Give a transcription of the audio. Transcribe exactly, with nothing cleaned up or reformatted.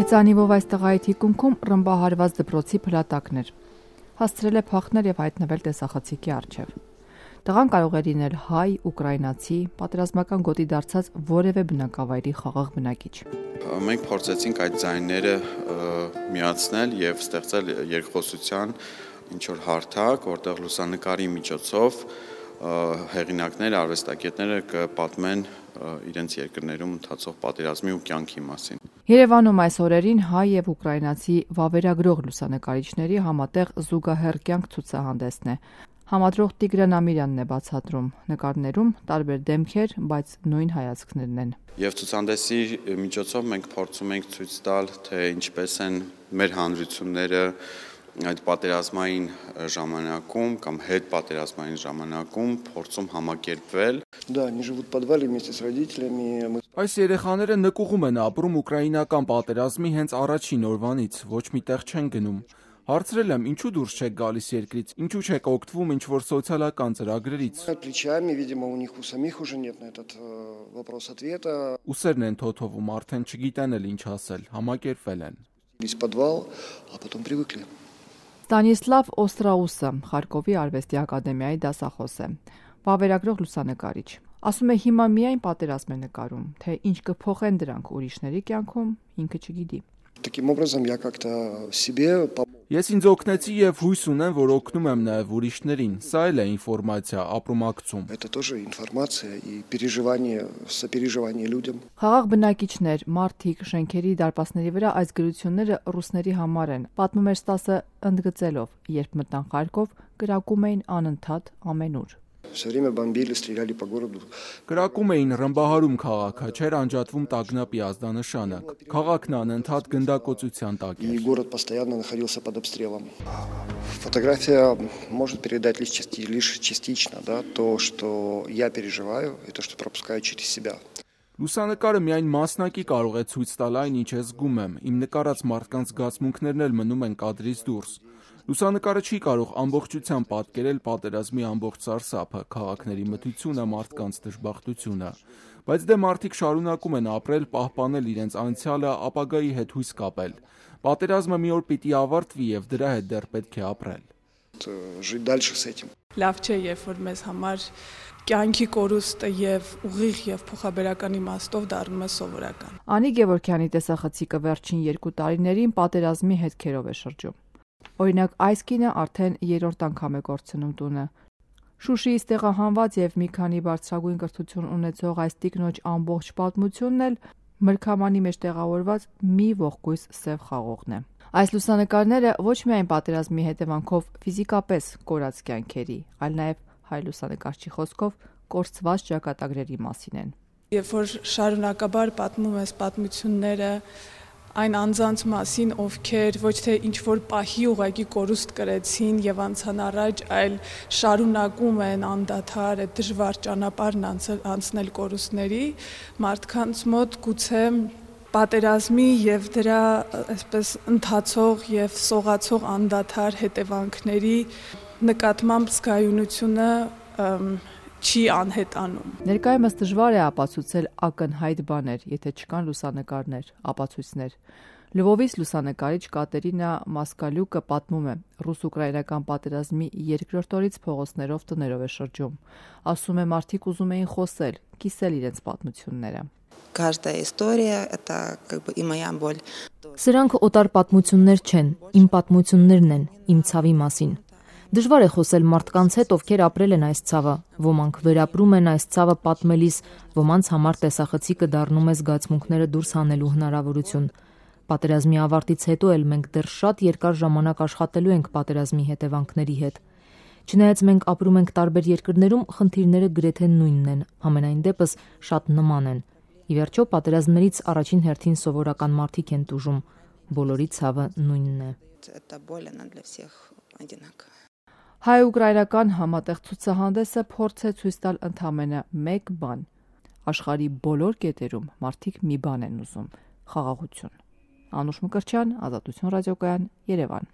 Հեծանիվով այս տղայի թիկունքում ռմբահարված դպրոցի փլատակն էր։ Հասցրել է փախնել եւ հայտնվել տեսախցիկի առջեւ։ Տղան կարող էր լինել հայ, ուկրաինացի, պատերազմական գոտի դարձած որևէ բնակավայրի խաղաղ բնակիչ։ Մենք փորձեցինք այդ ձայները միացնել եւ ստեղծել երկխոսության ինչ-որ հարթակ, որտեղ լուսանկարի միջոցով հեղինակները, արվեստագետները կպատմեն իրենց երկրներում ընթացող պատերազմի ու կյանքի մասին։ Երևանում այս օրերին հայ եւ ուկրաինացի վավերագրող լուսանկարիչների համատեղ զուգահեռ կյանք ցուցահանդեսն է։ Համադրող Տիգրան Ամիրյանն է բացատրում. նկարներում տարբեր դեմքեր, բայց նույն հայացքներն են։ Եվ ցուցահանդեսի միջոցով մենք փորձում ենք ցույց տալ, թե ինչպես են մեր հանրությունները այդ պատերազմային ժամանակում կամ հետ պատերազմային ժամանակում փորձում համակերպվել։ Да, они живут в подвале вместе с родителями. Այս երեխաները նկուղում են ապրում ուկրաինական պատերազմի հենց առաջին օրվանից, ոչ միտեղ չեն գնում։ Հարցրել եմ, ինչու դուրս չեք գալիս երկրից, ինչու չեք օգտվում ինչ-որ սոցիալական ծրագրերից։ Плечами, видимо, у них у самих уже нет на этот вопрос ответа. Ուսերն են թոթովում, արդեն չգիտեն էլ ինչ ասել, համակերպվել են։ Из подвал, а потом привыкли. Ստանիսլավ Օստրաուսը Խարկովի արվեստի ակադեմիայի դասախոս է, վավերագրող լուսանկարիչ։ Ասում է հիմա միայն պատերազմ է նկարում, թե ինչ կփոխեն դրանք ուրիշների կյանքում, ինքը չգիտի։ Таким образом я как-то себе Ես ինձ օգնեցի եւ հույս ունեմ, որ օգնում եմ նաեւ ուրիշներին։ Սա էլ է ինֆորմացիա, ապրումակցում։ Это тоже информация и переживание, сопереживание людям. Խաղաղ բնակիչներ, մարդիկ, շենքերի դարպասների վրա այս գրությունները ռուսների համար են։ Պատմում էր Ստասը ընդգծելով, երբ մտան Խարկով, կրակում էին անընդհատ ամենուր։ Все время бомбили, стреляли по городу. Կրակում էին ռմբահարում քաղաքը, չէր անջատվում տագնապի ազդանշանը։ Քաղաքն անընդհատ գնդակոծության տակ И էր։ город постоянно находился под обстрелом. Фотография может передать лишь части- лишь частично, да, то, что я переживаю, и то, что пропускаю через себя. Լուսանկարը միայն մասնակի կարող է ցույց տալ այն, ինչ ես զգում եմ։ Իմ նկարած մարդկանց զգացմունքներն էլ մնում են կադրից դուրս։ Լուսանկարը չի կարող ամբողջությամբ պատկերել պատերազմի ամբողջ սարսափը, քաղաքների մթությունը, մարդկանց դժբախտությունը, բայց դե մարդիկ շարունակում են ապրել, պահպանել իրենց անցյալը, ապագայի հետ հույս կապել։ Պատերազմը մի օր պիտի ավարտվի եւ դրա հետ դեռ պետք է ապրել։ Жить дальше с этим. Լավ չէ, երբ որ մեզ համար կյանքի կորուստը եւ ուղիղ եւ փոխաբերական իմաստով դառնում է սովորական։ Անի Գևորգյանի տեսախցիկը վերջին երկու տարիներին պատերազմի հետքերով է շրջում։ Օրինակ, այս կինը արդեն երրորդ անգամ է կորցնում տունը։ Շուշիից տեղահանված եւ մի քանի բարձրագույն կրթություն ունեցող այս տիկնոջ ամբողջ պատմությունն էլ մրգամանի մեջ տեղավորված մի ողկույզ սև խաղողն է։ Այս լուսանկարները ոչ միայն պատերազմի հետևանքով ֆիզիկապես կորած կյանքերի, այլ նաեւ հայ լուսանկարչի խոսքով կորցված ճակատագրերի մասին են։ Երբ որ շարունակաբար պատմում ես պատմությունները այն անձանց մասին, ովքեր ոչ թե ինչ որ պահի ուղակի կորուստ կրեցին եւ անցան առաջ, այլ շարունակում են անդադար այդ դժվար ճանապարհն անցնել կորուստների, մարդկանց մոտ գուցե պատերազմի եւ դրա այսպես ընթացող եւ սողացող անդադար հետևանքների նկատմամբ զգայունությունը չի անհետանում։ Ներկայումս դժվար է ապացուցել ակնհայտ բաներ, եթե չկան լուսանկարներ, ապացույցներ։ Լվովից լուսանկարիչ Կատերինա Մասկալյուկը պատմում է, ռուս-ուկրաինական պատերազմի երկրորդ օրից փողոցներով տներով է շրջում։ Ասում է, մարդիկ ուզում էին խոսել, կիսել իրենց պատմությունները։ Каждая история это как бы и моя боль. Սրանք օտար պատմություններ չեն, իմ պատմություններն են, իմ ցավի մասին։ Դժվար է խոսել մարդկանց հետ, ովքեր ապրել են այս ցավը, ոմանք վերապրում են այս ցավը պատմելիս, ոմանց համար տեսախցիկը դառնում է զգացմունքները դուրս հանելու հնարավորություն։ Պատերազմի ավարտից հետո էլ մենք դեռ շատ երկար ժամանակ աշխատելու ենք պատերազմի հետևանքների հետ։ Չնայած մենք ապրում ենք տարբեր երկրներում, խնդիրները գրեթե նույնն են, համենայն դեպս շատ նման են։ Ի վերջո պատերազմներից առաջին հերթին սովորական մարդիկ են տուժում, բոլորի ցավը նույնն է։ Это боль, она для всех одинаковая. Հայ-ուկրաինական համատեղ ցուցահանդեսը փորձ է ցույց տալ ընդամենը մեկ բան։ Աշխարհի բոլոր կետերում մարդիկ մի բան են ուզում՝ խաղաղություն։ Անուշ Մկրտչյան, Ազատություն ռադիոկայան, Երևան։